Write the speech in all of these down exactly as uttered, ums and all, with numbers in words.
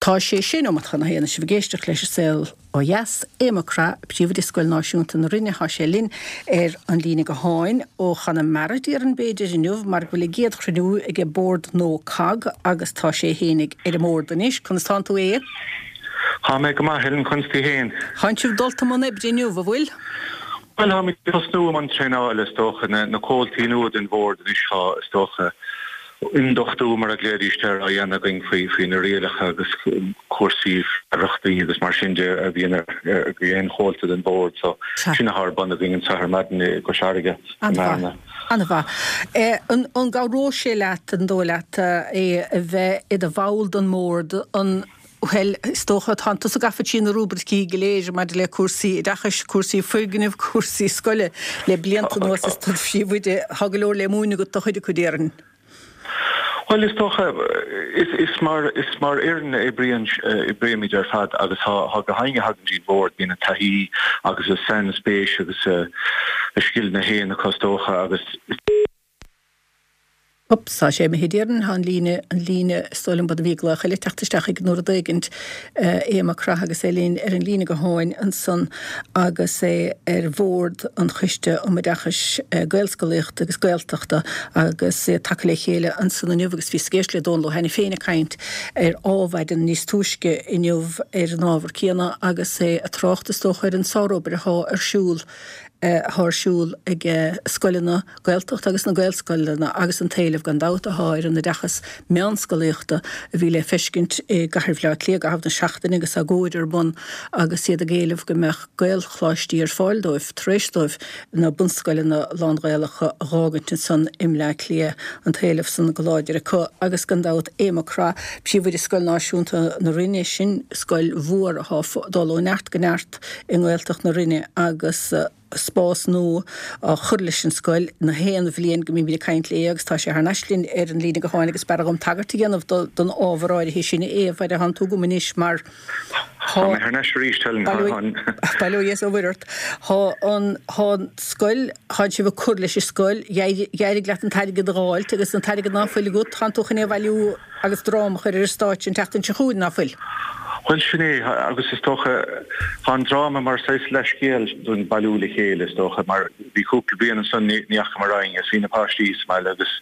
Tá sé sé nóiméad chun a haon sibh ag éisteacht leis an Saol Ó Dheas, Aodh Mac Craith, príomhoide Scoil Náisiúnta na Rinne, tá sé linn ar an líne gutháin ó Chonamara déarfainn b'fhéidir inniu mar go bhfuil a gcéad chruinniú ag bord nua COGG agus tá sé fhéinig ar an mbord anois. Conas tánn tú é? Tá mé go maith Helen conas tú féin. Tánn sibh dulta i mbun oibre inniu, an bhfuil? Well tá tosnú an traenáil is dócha na, na comhaltaí nua den bhord anois tá is dócha ionduchtú mar a ghlaoidís air á dhéanamh againn faoi faoi na rialacha agus cúrsaí freagrachtaí agus mar sin de a bhíonn ar aon chomhalta den bhord so sin atá ar bun againn anseo ar maidin i gCois Fharraige. An-mhaith. An gcabhróidh sé leat an dóigh leat é a bheith i do bhall den mbord an Well, is dócha tá tusa gafa trí na rúibricí go léir maidir le cúrsaí oideachais, cúrsaí foirgnimh, cúrsaí scoile le blianta anuas is tú príomhoide tá go leor le múineadh agat do chuid acu déarfainn. Well is dócha is, is mar is mar fhoireann oibríonn oibrímid ar fad agus tá tá gach éinne a thagann dtí'n bhord bíonn an taithí agus a sainspéis agus a, a scileanna féin acu is dócha agus Ups, tá sé imithe déarfainn tá an líne an líne is dóigh liom bud a bhí glaoch eile teacht isteach ag nó rud éigint Aodh Mac Craith agus é linn ar an líne gutháin ansan agus é ar bhord an Choiste um Oideachais Gaelscolaíochta agus Gaeltachta agus é tagtha le chéile ansan inniu agus bhí éisteacht le Dónal Ó hAiniféin ag caint ar Adhmhaidin níos túisce inniu ar an ábhar céanna agus é ag trácht is dócha ar an sárobair atá ar siúl atá ar siúl ag scoileanna Gaeltacht agus na Gaelscoileanna agus an t-éileamh gan dabht atá ar an oideachas meánscolaíochta a bhí le feiscint i gCathair Bhaile Átha Cliath i gcaitheamh na seachtaine agus agóid ar bun agus iad ag éileamh go mbeadh Gaelcholáistí ar fáil dóibh tar éis dóibh na bunscoileanna lán-Ghaelacha a dh'fhágaint ansan i mBleá Cliath an t-éileamh san go láidir acu agus gan dabht Aodh Mac Craith príomhoide Scoil Náisiúnta na Rinne sin scoil mhór atá dul ó neart go neart i nGaeltacht na Rinne agus spás nua á chur leis an scoil na haon bhliain go mbímid ag caint léi agus tá sé thar n-ais linn ar an líne gutháin agus b'fhearr dhom tagairt a dhéanamh don ábhar áirithe sin é a thánn tú agam anois mar Tá mé thar n-ais arís Helen Bail ó Dhia is ó Mhuire ort. Tá an tá an scoil tá sibh ag cur leis an scoil d'éirigh leat an t-airgead a dh'fháilt agus an t-airgead ná fuil agat tánn tú chun é a bhailiú agus dráma a chur ar an stáitse an tseachtain seo chugainn ná fuil. Well sin é agus is dócha tá an dráma mar saghas leithscéal don bailiú le chéile is dócha mar bhí cúpla bliain ansan ní dheachamar againn is bhí na páistí sa mbaile agus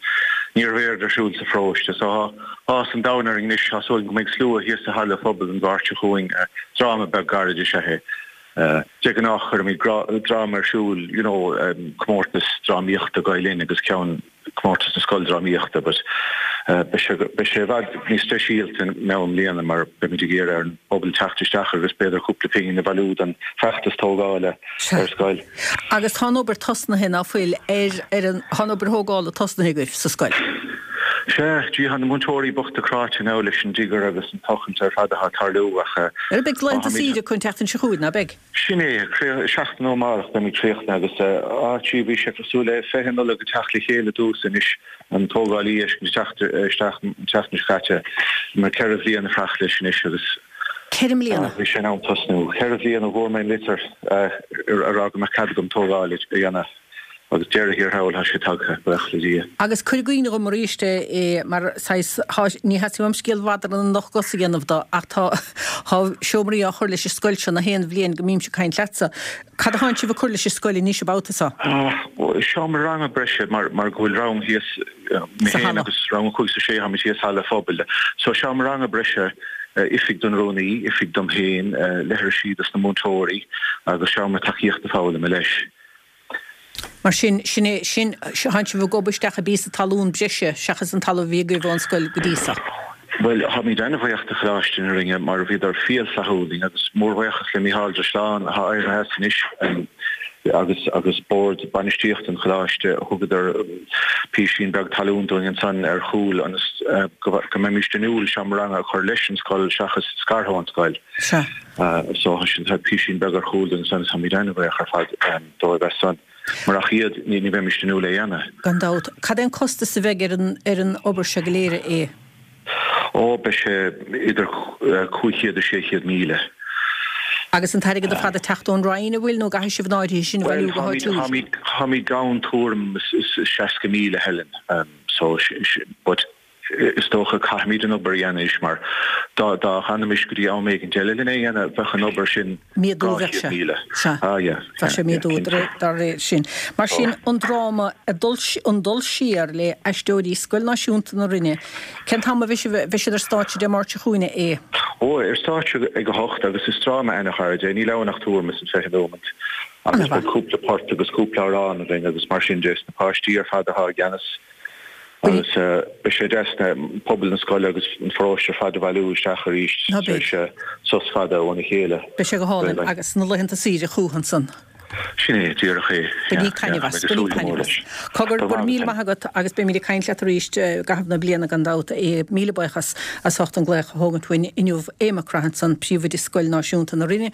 ní raibh aon rud ar siúl sa pharóiste so tá áthas an domhain orainn anois tá súil go mbeidh slua thíos sa halla phobail an Mháirt seo chugainn dráma beag gairid is ea é. De ghnáth cuirimid dráma ar siúl you know comórtas drámaíochta Gael Linn agus ceann comórtas na scoildrámaíochta but beidh sé beidh sé i bhfad níos speisialta i mbliana mar beimid ag iarraidh ar an bpobal teacht isteach agus b'fhéidir cúpla pingin a bhailiú don feachtas tógála ar scoil. Agus tá an obair tosnaithe ná fuil ar ar an tá an obair thógála tosnaithe agaibh sa scoil? Sea, gee tá na múinteoirí bochta cráite now leis an digger agus an tochailt ar fad atá ag tarlú ach Ar beidh laethanta saoire acu an tseachtain seo chugainn, ná beidh? Sin é, seachtain ó amárach beimid críochnaithe agus á gee bhí sé cosúil le fiche Nollaig ag teacht le chéile domhsa anois, an tógálaí ag teacht isteach an tseachtain seo caite, mar ceithre bhliain ag fuireach leis anois agus Ceithre mbliana? bhí sé in am tosnú. Ceithre bhliain ó bhfuair mé an litir a rá go mbeadh cead agam tógáil a dhéanamh. Agus deireadh thiar thall tá sé tagtha, buíochas le Dia. Agus cuir i gcuimhne dhom arís é, mar saghas, thá, ní theastaíonn uaim scéal mhadra na n-ocht gcos a dhéanamh do, ach tá, thá seomraí á chur leis an scoil seo na haon bhliain go mbímse ag caint leatsa. Cad a thánn sibh ag cur leis an scoil anois an babhta seo? Seomra ranga breise mar, mar go bhfuil rang thíos, mé Sa féin halla. agus rang a cúig is a sé, táimid thíos sa halla phobail. So seomra ranga breise, oifig don rúnaí, oifig dom féin, leithrisí dos na múinteoirí agus seomra tacaíochta foghlama leis. Mar sin, sin é, sin, thánn sibh ag gobadh isteach i bpíosa talún breise seachas an talamh a bhí agaibh ón scoil go dtí seo. Bhuel, táimid an-bhuíoch de Choláiste na Rinne mar bhíodar fial flaithiúil linn agus mórbhuíochas le Mícheál Drisleán atá éirithe as anois agus agus bord bainistíochta an choláiste, thugadar písín beag talún dúinn ansan ar chúl ionas go go mbeimíst inniúil seomra ranga a chur leis an scoil seachas scartha ón scoil. Sea. So sin tá písín beag ar chúl dúinn ansan agus táimid an-bhuíoch ar fad dóibh as san. Murach iad, ní ní bheimíst inniúil é a dhéanamh. Gan dabht. Cad é an costas a bheidh ar an ar an obair seo go léir, a. Ó, beidh sé idir cúig chéad is sé chéad míle. Agus an t-airgead ar fad ag teacht ón Roinn, an bhfuil, nó an gcaithfidh sibh an áirithe sin a Bhuel, bhailiú go táimid, háitiúil? táimid, táimid gann tuairim is is seasca míle, Helen, so, but is dócha caithfimid an obair a dhéanamh anois mar dá dá bhfanfaimis go dtí am éigin eile lena dhéanamh bheadh an obair sin Míadúil dhá bheadh chéad sé. míle. Sea. Ah yeah, Bheadh sé yeah, yeah, míadúil cinnte. dá réir sin. Mar sin an dráma An Dul Siar le Aisteoirí Scoil Náisiúnta na Rinne, cén t-am a bheidh sibh, bheidh siad ar stáitse Dé Máirt seo chugainn, a Aodha? Ó, ar stáitse ag a hocht agus is dráma ana-ghairid é, níl ann ach tuairim is an fiche nóimeant agus Ana-mhaith. beidh cúpla port agus cúpla amhrán againn agus mar sin de, is na páistí ar fad atá i gceannas agus beidh sé deas na pobal na scoile agus an pharóiste ar fad a bhailiú isteach arís Ná tar beidh. éis sos fada óna chéile. Beidh sé go hálainn agus na laethanta saoire chucu ansan. Sin é, díreach é. Bainíodh taitneamh as, bainíodh taitneamh as. Cogar, go raibh míle maith agat agus beimid ag caint leat arís i gcaitheamh na bliana gan dabht. Míle buíochas as ucht an glaoch a thógaint uainn inniu. Aodh Mac Craith ansan, Príomhoide Scoil Náisiúnta na Rinne.